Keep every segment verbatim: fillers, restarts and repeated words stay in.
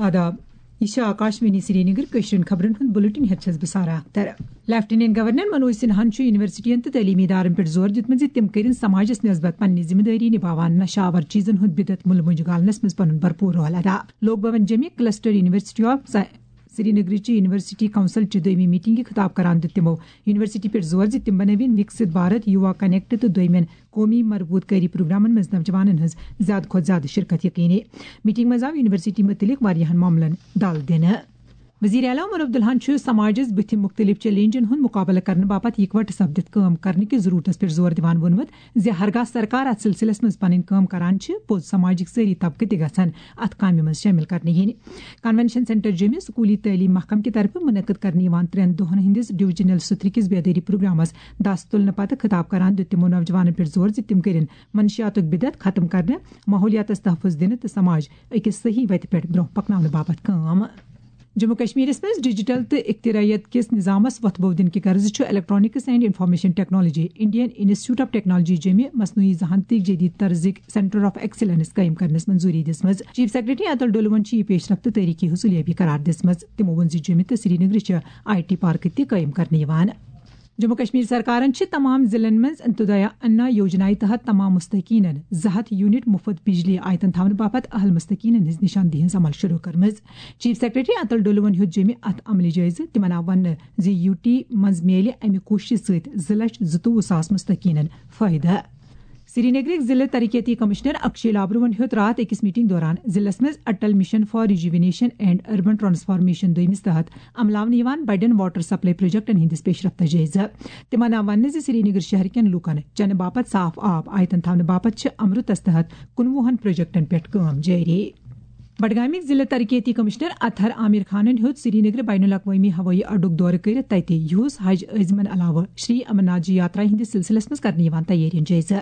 آداب۔ یہ چھِ آکاشوانی سرینگر۔ کٲشرٮ۪ن خبرن ہُنٛد بُلٹن ہٮ۪تھ چھَس بہٕ سارا اختر۔ لیفٹیننٹ گورنر منوج سنہاہن چھُ یونیورسٹین تہٕ تعلیمی ادارن پٮ۪ٹھ زور دیُتمُت زِ تِم کٔرِن سماجس نسبت پننہِ ذمہٕ دٲری نباوان، نشہ آور چیزن ہُنٛد بدعت مُلہٕ مۄنجہِ گالنس منٛز پنُن بھرپور رول ادا۔ لوک بھون جیمہِ کلسٹر یونیورسٹی آف سا-، سرینگرٕچہِ یونیورسٹی کونسلچہِ دوٚیمہِ میٹنگہِ خطاب کران دیُت تِمو یونیورسٹی پٮ۪ٹھ زور زِ تِم بنٲوِن وکسِت بھارت، یووا کنیکٹ تہٕ دوٚیمٮ۪ن قومی مربوط کٲری پروگرامن منٛز نوجوانن ہٕنٛز زیادٕ کھۄتہٕ زیادٕ شرکت یقینی۔ میٹنگ منٛز آو یونیورسٹی متعلق واریاہن معاملن دل دِنہٕ۔ وزیر اعلیٰ عمر عبداللہن چھُ سماجس بُتھِ مُختٔلِف چیلنجن ہُنٛد مُقابلہٕ کرنہٕ باپتھ اِکوٹہٕ سپدِتھ کٲم کرنہٕ کِس ضروٗرتس پٮ۪ٹھ زور دِوان ووٚنمُت زِ ہرگاہ سرکار اتھ سلسلس منٛز پنٕنۍ کٲم کران چھِ، پوٚز سماجٕکۍ سٲری طبقہٕ تہِ گژھن اتھ کامہِ منٛز شٲمِل کرنہٕ یِنۍ۔ کنونشن سینٹر جیمہِ سکوٗلی تعلیٖم محکمہٕ کہِ طرفہٕ منعقد کرنہٕ یِوان ترٛٮ۪ن دۄہن ہٕنٛدِس ڈویژنل سترٕ کِس بیدٲری پروگرامس دس تُلنہٕ پتہٕ خطاب کران دیُت تِمو نوجوانن پٮ۪ٹھ زور زِ تِم کٔرِن منشیاتُک بدعت ختم کرنہٕ، ماحولیاتس تحفظ دِنہٕ تہٕ سماج أکِس صحیح وتہِ پٮ۪ٹھ برونٛہہ پکناونہٕ باپتھ کٲم۔ جموں کشمیرس منٛز ڈیجیٹل تہٕ اختراعیت کِس نظامس وۄتھٕ بو دِنہٕ کہِ غرضہٕ چھُ electronics and information technology, Indian institute of technology جیمہِ مصنوعی ذہانتٕکۍ جدید طرزٕکۍ سینٹر آف ایکسیلنس قٲیِم کرنس منظوٗری دِژمٕژ۔ چیف سیکرٹری اتل ڈولون چھِ یہِ پیش رفت تٲریخی حصولیابی قرار دِژمٕژ۔ تِمو ووٚن زِ جیمہِ تہٕ سرینگرٕ چھِ آئی ٹی پارکہٕ تہِ قٲیِم کرنہٕ یِوان۔ جموں کشمیر سرکارن چھِ تمام ضلعن منٛز انتودیا انا یوجنایہِ تحت تمام مستحقینن زٕ ہتھ یونٹ مفت بجلی آیتن تھاونہٕ باپتھ اہل مستحقینن ہٕنٛز نشاندہی ہٕنٛز عمل شروع کٔرمٕژ۔ چیف سیکرٹری اتل ڈولون ہیوٚت جیمہِ اتھ عملہِ جٲیزٕ۔ تِمن آو وننہٕ زِ یو ٹی منٛز میلہِ امہِ کوٗششہِ سۭتۍ زٕ لچھ زٕتووُہ ساس مستحقینن فٲیدٕ۔ سرینگرٕکۍ ضلع ترقیتی کمشنر اکشے لابروہن ہیوٚت راتھ أکِس میٹنگ دوران ضلعس منٛز Atal mission for rejuvenation and urban transformation دوٚیمِس تحت عملاونہٕ یِوان بڑٮ۪ن واٹر سپلائی پروجیکٹن ہٕنٛدِس پیش رفتس جٲیزٕ۔ تِمن آو وننہٕ زِ سرینگر شہر کٮ۪ن لوٗکن چنہٕ باپتھ صاف آب آیتن تھاونہٕ باپتھ چھِ امرتس تحت کُنوُہن پروجیکٹن پٮ۪ٹھ کٲم جٲری۔ بڈگامٕکۍ ضلع ترقیتی کمشنر اطہر عامر خانن ہیوٚت سرینگر بین الاقوٲمی ہوٲیی اڈُک دورٕ کٔرِتھ تتہِ یُہُس حج عٲزمن علاوٕ شری امرناتھ جی یاترا ہٕنٛدِس سلسلس منٛز کرنہٕ یِوان تیٲرین جٲیزٕ۔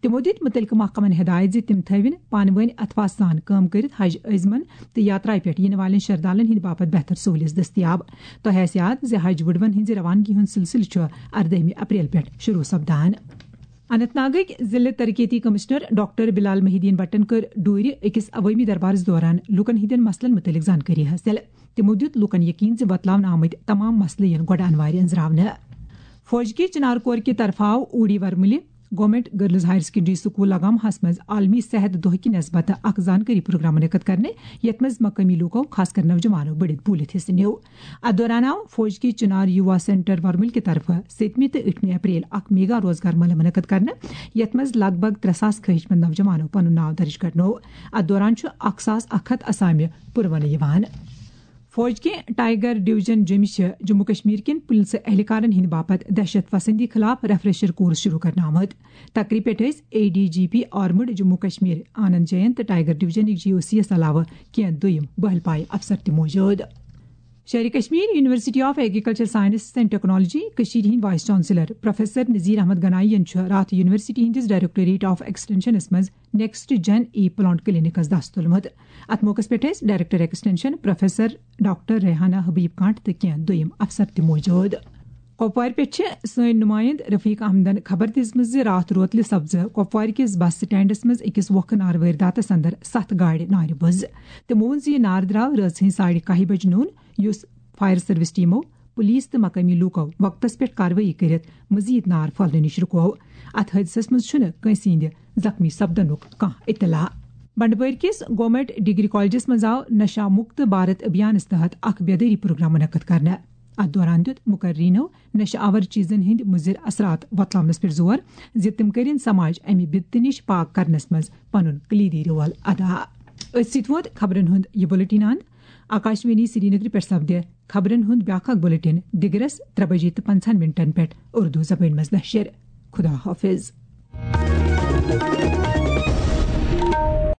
تِمو دِتۍ مُتعلقہٕ محکمن ہدایت زِ تِم تھٲوِن پانہٕ وٲنۍ اتھواہ سان کٲم کٔرِتھ حج عٲزمن تہٕ یاترایہِ پٮ۪ٹھ یِنہٕ والٮ۪ن شردالن ہٕنٛدِ باپتھ بہتر سہوٗلیژ دٔستیاب۔ تۄہہِ آسہِ یاد زِ حج وُڈوَن ہٕنٛزِ روانگی ہُنٛد سلسلہٕ چھُ اردٲہمہِ اپریل پٮ۪ٹھ شروع سپدان۔ اننت ناگٕکۍ ضلع ترقیتی کمشنر ڈاکٹر بلال محی الدین بٹن کٔر ڈوٗرِ أکِس عوٲمی دربارس دوران لوٗکن ہٕنٛدٮ۪ن مسلن مُتعلق زانکٲری حٲصِل۔ تِمو دیُت لوٗکن یقین زِ وۄتلاونہٕ آمٕتۍ تمام مسلہٕ یِن گۄڈٕ انوارِ أنٛزراونہٕ۔ فوج کہِ چنار کور کہِ طرفہٕ آو اوٗڑی ورمُلہِ government girls higher secondary school لگامہس منٛز عالمی صحت دۄہ کہِ نسبتہٕ اکھ زانکٲری پروگرام منعقد کرنہٕ، یتھ منٛز مقٲمی لوٗکو، خاص کر نوجوانو، بٔڑِتھ بوٗلِتھ حصہٕ نیوٗ۔ اتھ دوران آو فوج کہِ چنار یووا سینٹر ورمُل کہِ طرفہٕ سٔتمہِ تہٕ ٲٹھمہِ اپریل اکھ میگا روزگار میلہٕ منعقد کرنہٕ، یتھ منٛز لگ بھگ ترٛےٚ ساس خٲہِش مند نوجوانو پنُن ناو درج کرنوو۔ اتھ دوران چھُ اکھ ساس اکھ ہتھ اسامہِ پُرونہٕ یِوان۔ فوج کہِ ٹائیگر ڈویژن جیمہِ چھِ جموں کشمیر کٮ۪ن پُلسہٕ اہلکارن ہٕنٛدِ باپتھ دہشت پسندی خلاف ریفریشر کورس شروع کرنہٕ آمُت۔ تقریب پٮ۪ٹھ ٲسۍ A D G P armed Jammu Kashmir Anand Jain تہٕ ٹائیگر ڈویژنٕکۍ جی او سی یس علاوٕ کینٛہہ دوٚیم بہل پایہِ افسر تہِ موجود۔ Sher Kashmir university of agriculture science and technology کٔشیٖرِ ہٕنٛدۍ vice chancellor professor Nazir Ahmad Ganai یَن چھُ راتھ یونیورسٹی ہٕنٛدِس ڈائریکٹوریٹ آف ایکسٹینشنس منٛز next gen E plant clinics دست تُلمُت۔ اتھ موقعس پٮ۪ٹھ ٲسۍ director extension professor doctor Rehana Habib Kanth تہٕ کینٛہہ دوٚیم افسر تہِ موجود۔ کۄپوارِ پٮ۪ٹھ چھِ سٲنۍ نُمایند رفیق احمدن خبر دِژمٕژ زِ راتھ روتلہِ سپزٕ کۄپوارِ کِس بس سٹینڈس منٛز أکِس وۄکھٕ نارٕ وٲرۍ داتس اندر ستھ گاڑِ نارِ بُز۔ تِمو ووٚن زِ یہِ نار درٛاو رٲژ ہٕنٛزِ ساڑِ کاہہِ بجہِ نوٚن، یُس فائر سروس ٹیمو، پولیس تہٕ مقٲمی لوٗکو وقتس پٮ۪ٹھ کاروٲیی کٔرِتھ مزید نار پھٔہلنہٕ نِش رُکوو۔ اتھ حٲدثس منٛز چھُنہٕ کٲنٛسہِ ہٕنٛدِ زخمی سپدنُک کانٛہہ اطلاع۔ بنڈپورِ کِس گورنمنٹ ڈگری کالجس منٛز آو نشہ مکت بھارت ابھیانس تحت اکھ بیدٲری پروگرام منعقد کرنہٕ۔ اتھ دوران دیُت مقررینو نشہ آور چیزن ہٕنٛدۍ مُضر اثرات وۄتلاونس پٮ۪ٹھ زور زِ تِم کٔرِن سماج امہِ بدتہٕ نِش پاک کرنس منٛز پنُن کلیدی رول ادا۔ أتھۍ سۭتۍ ووت خبرن ہُنٛد یہِ بُلٹن اند۔ آکاشوانی سرینگرٕ پٮ۪ٹھ سپدِ خبرن ہُنٛد بیٛاکھ اکھ بُلٹن دِگرس ترٛےٚ بجے تہٕ پنٛژاہن منٹن پٮ۪ٹھ اردو زبٲنۍ منٛز نشر۔ خدا حافظ۔